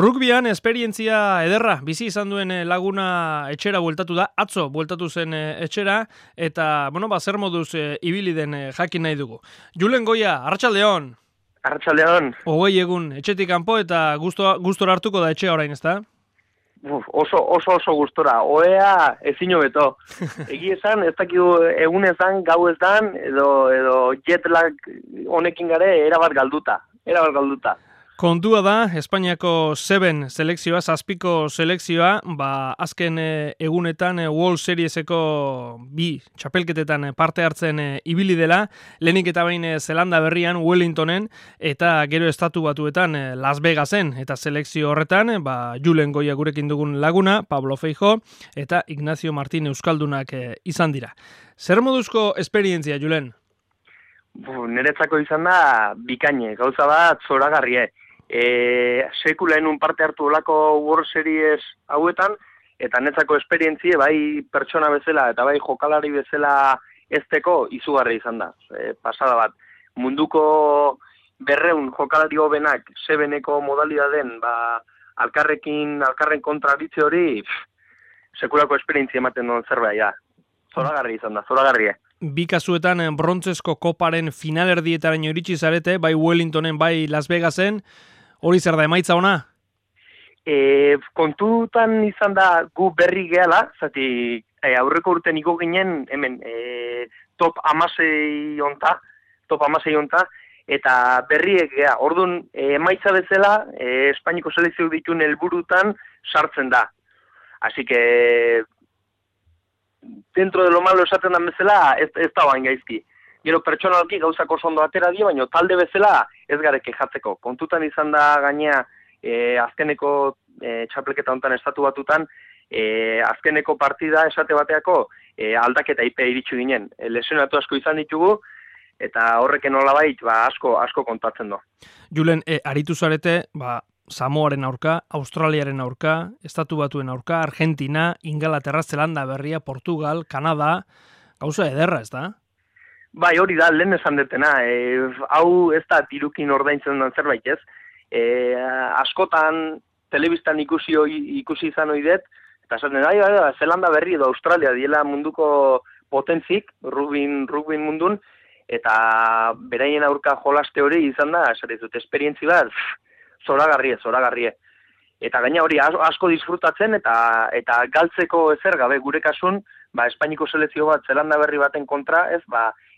Rugbyan esperientzia ederra, bizi izan duen laguna etxera bueltatu da, atzo bueltatu zen etxera, eta, zer moduz ibili den jakin nahi dugu. Julen Goia, arratsaldeon. Arratsaldeon. 20 egun etxetik kanpo eta gustora hartuko da etxea orain, ezta? Oso gustora. Oea ezin hobeto. Egi esan, ez dakigu egun ezan, gau ezan, edo jet lag honekin gare erabat galduta. Kontua da, Espainiako 7 selekzioa, 7 selekzioa, azken egunetan World Serieseko 2 txapelketetan parte hartzen ibili dela, lehenik eta behin Zelanda Berrian, Wellingtonen, eta gero Estatu Batuetan Las Vegasen, eta selekzio horretan, Julen Goia gurekin dugun laguna, Pablo Feijo, eta Ignacio Martín Euskaldunak izan dira. Zer moduzko esperientzia, Julen? Niretzako izan da bikaine, gauza bat zoragarrie. Sekulaen parte hartu olako World Series hauetan, eta netzako esperientzie bai pertsona bezala eta bai jokalari bezala ezteko izugarri izan da. Pasada bat, munduko 200 jokalari hobenak 7eko modalidaden, alkarren kontraritze hori, sekulako esperientzia ematen duen zerbait da. Zoragarri izan da, zoragarrie. Bi kasuetan brontzesko koparen finalerdietaraino iritsi zarete, bai Wellingtonen, bai Las Vegasen, hori zer da emaitza ona? Kontutan izan da gu berri gehala, zati aurreko urten iko ginen hemen top 16 onta, eta berriek gea. Orduan, emaitza bezala, Espainiko selekzio dituen helburutan sartzen da. Así que dentro de lo malo esaten dan bezala, ez da bain gaizki. Gero pertsonalki gauzak oso ondo atera dio, baina talde bezala ez gare kejatzeko. Kontutan izan da gainea azkeneko txapelketa hontan Estatu Batutan, azkeneko partida esate bateako aldaketa ipea iritsu ginen. Lesionatu asko izan ditugu, eta horreken nolabait asko kontatzen do. Julen, aritu zarete, Samoaren aurka, Australiaren aurka, Estatu Batuen aurka, Argentina, Ingalaterra, Zelanda Berria, Portugal, Kanada, gauza ederra, ez da? Bai, hori da, lehen esan detena, hau ez da tirukin ordaintzen den zerbait ez. Askotan, telebistan ikusi izan oidet, eta esaten da, Zelanda Berri edo Australia diela munduko potentzik, rugby mundun, eta beraien aurka jolaste hori izan da, esaten esperientzi bat, zoragarrie. Eta gaina hori asko disfrutatzen eta galtzeko ezer gabe gure kasun, Espainiko selekzio bat Zelanda Berri baten kontra, ez,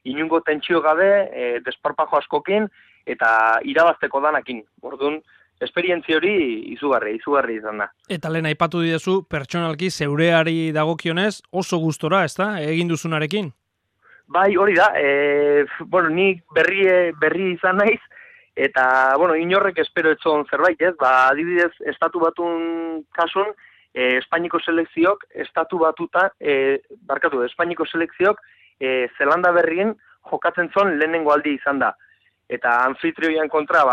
inungo tentsio gabe, desparpajo askokin eta irabazteko danakin. Orduan, esperientzia hori izugarri izan da. Eta lehen aipatu didazu, pertsonalki zeureari dagokionez oso gustora, ez da, egin duzunarekin? Bai, hori da, nik berri izan naiz, eta, inorrek espero etzon zerbait, ez? Adibidez, Estatu Batun kasun, Espainiko selekziok, Espainiko selekziok, Zelanda Berrien jokatzen zon lehenengo aldi izan da. Eta anfitrioian kontra,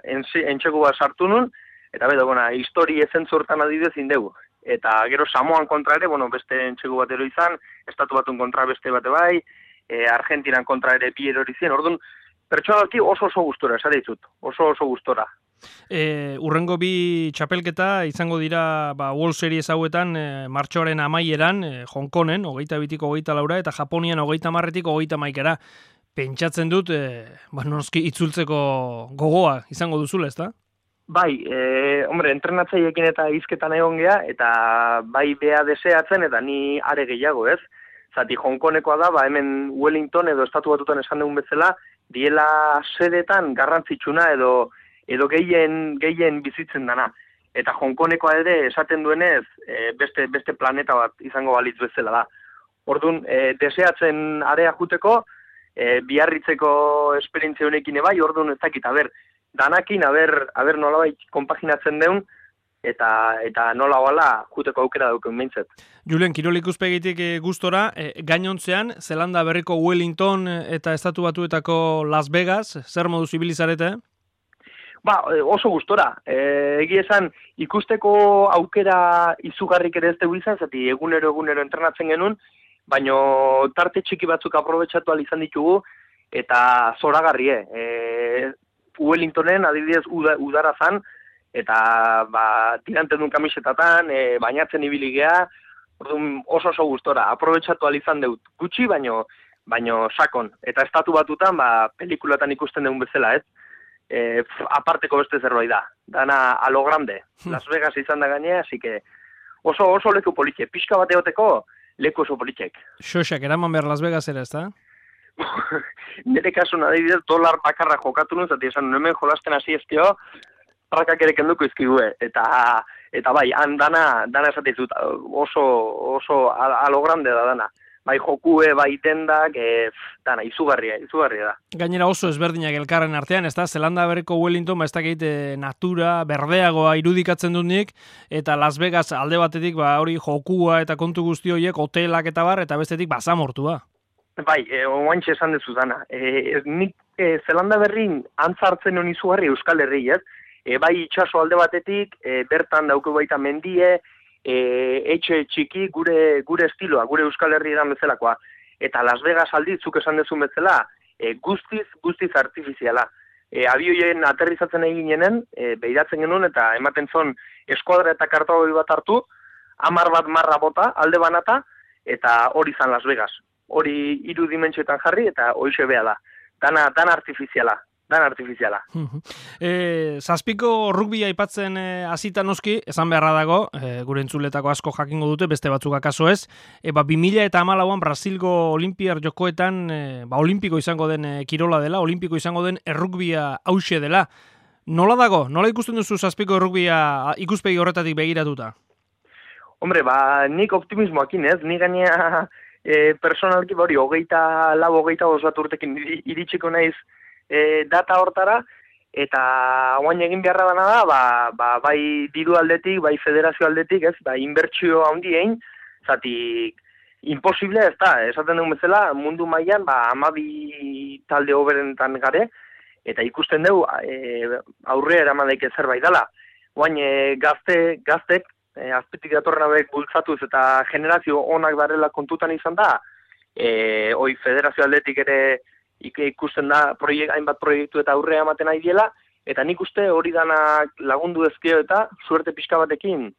entxegu bat sartu nun, eta histori ezentzortan adibidez indegu. Eta gero Samoan kontra ere, beste entxegu bat ero izan, Estatu Batun kontra beste bate bai, Argentinan kontra ere bi erori zien, orduan, pertsonalki oso gustora, esate ditut, oso gustora. Urrengo bi txapelketa izango dira World Series hauetan martxoaren amaieran, Hong Kongen, 22-tik 24 eta Japonian 30-tik 31. Pentsatzen dut, noski itzultzeko gogoa izango duzula, ezta? Bai, entrenatzaiekin eta hizketan egon gea, eta bai bea deseatzen, eta ni are gehiago, ez? Zati Hong Kongekoa da, hemen Wellington edo Estatu Batutan esan dugun bezala, diela sedetan garrantzitsuna edo gehien bizitzen dana. Eta Hong Kongekoa ere esaten duenez beste planeta bat izango balitz bezala da. Orduan, deseatzen area juteko, biarritzeko esperientzia honekin ebai, orduan ez dakit, danakin, nolabait konpaginatzen deun, eta nola hoala juteko aukera dauken meintzet. Julen, kirol ikuspegitik gustora, gainontzean, Zelanda Berriko Wellington eta Estatu Batuetako Las Vegas, zer moduz ibilizarete? Oso gustora. Egi esan, ikusteko aukera izugarrik ere ez dugu izan, zati egunero entrenatzen genuen, baina tarte txiki batzuk aprobetxatu izan ditugu, eta zoragarrie. Wellingtonen, adibidez, udara zan, eta tiranten duen kamisetatan, bainatzen ibili gea, orduan oso gustora, aprobetxatu izan dut gutxi, baino sakon. Eta estatu batutan, pelikulatan ikusten dugun bezala, ez? Aparteko beste zerbait da. Dana a lo grande. Las Vegas izan da gainea, así que oso leku politxe. Pixka bat egoteko leku oso politxek. Xoxak, eraman behar Las Vegas ere, ez da? Nire kasun adibidez, $1 bakarra jokatu nuen, zati esan, hemen jolasten hasi ezkio, prakak ere kenduko izkigue. Eta bai, han dana esatizut, oso a lo grande da dana. Bai jokue, bai dendak, dana, izugarria da. Gainera oso ezberdinak elkarren artean, ez da, Zelanda Berriko Wellington, ez dakit natura, berdeagoa irudikatzen dut nik, eta Las Vegas alde batetik, hori jokua eta kontu guzti horiek, hotelak eta bar, eta bestetik basamortua. Bai, oaintxe esan dezu dana. Nik Zelanda Berrin antzartzen honi izugarri Euskal Herri, ez? Bai itxaso alde batetik, bertan dauke baita mendie, etxe txiki gure estiloa, gure Euskal Herri edan bezalakoa. Eta Las Vegas alditzuk esan dezun bezala, guztiz artifiziala. Abioien aterrizatzen eginenen, behiratzen genuen eta ematen zon eskuadra eta kartagoi bat hartu, 10 bat marra bota, alde banata, eta hori zan Las Vegas. Hori 3 dimentsioetan jarri eta hoixe bea da. Dana artifiziala. Zazpiko rugbia aipatzen hasita noski, esan beharra dago, gure entzuletako asko jakingo dute, beste batzuk akaso ez, 2014an Brasilgo Olimpiar Jokoetan olimpiko izango den kirola dela, olimpiko izango den errugbia hauxe dela. Nola dago? Nola ikusten duzu zazpiko errugbia ikuspegi horretatik begiratuta? Hombre, nik optimismoakin ez, nik gainea personalki hori 24 urtekin iritsiko naiz data hortara, eta oain egin beharra dana da, bai diru aldetik, bai federazio aldetik, ez, inbertsio handien, zatik, imposible ez da, esaten dugun bezala, mundu mailan 12 talde hoberentan gare, eta ikusten dugu aurre eramadeik zerbait dela. Oain gaztek, azpitik datorren hauek bultzatuz eta generazio onak darela kontutan izan da, hoi federazio aldetik ere ikusten da hainbat proiektu eta aurrea ematen nahi diela, eta nik uste hori danak lagundu ezkeo eta suerte pixka batekin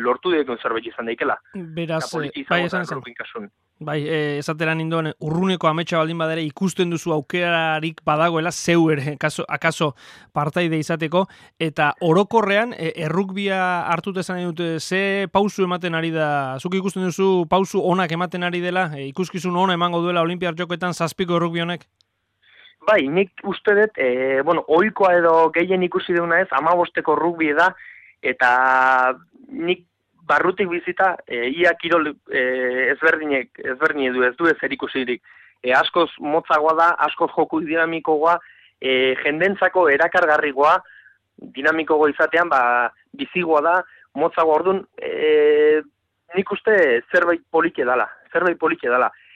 lortu direkun zerbait izan daikela. Beraz, bai esan zen. Bai, esateran indoen, urruneko ametsa baldin badere ikusten duzu aukerarik badagoela, zeu ere, akaso partaide izateko, eta orokorrean, errukbia hartut esan dute, ze pausu ematen ari da, zuk ikusten duzu pausu onak ematen ari dela, ikuskizun ona emango duela Olimpiar Jokoetan zazpiko errukbi honek? Bai, nik uste dut, ohikoa edo gehien ikusi duna ez, 15ko rugbi da, eta nik barrutik bizita, ia kirol ezberdinek du, ez du ezer ikusirik. Askoz motzagoa da, askoz joku dinamikoa, jendentzako erakargarrigoa, dinamikoa izatean, bizigoa da, motzagoa orduan, nik uste zerbait polike dala.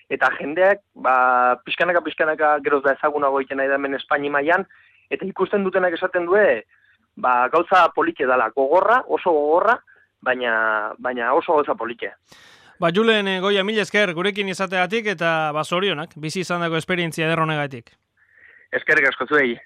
Eta jendeak, pixkanaka geroz da ezagunago egiten nahi da hemen Espaini mailan, eta ikusten dutenak esaten due, gauza polike dala, oso gogorra, baina oso gauza polike. Julen, Goia, mila esker gurekin izateatik eta zorionak, bizi izandako esperientzia ederronegatik. Eskerrik asko zuei.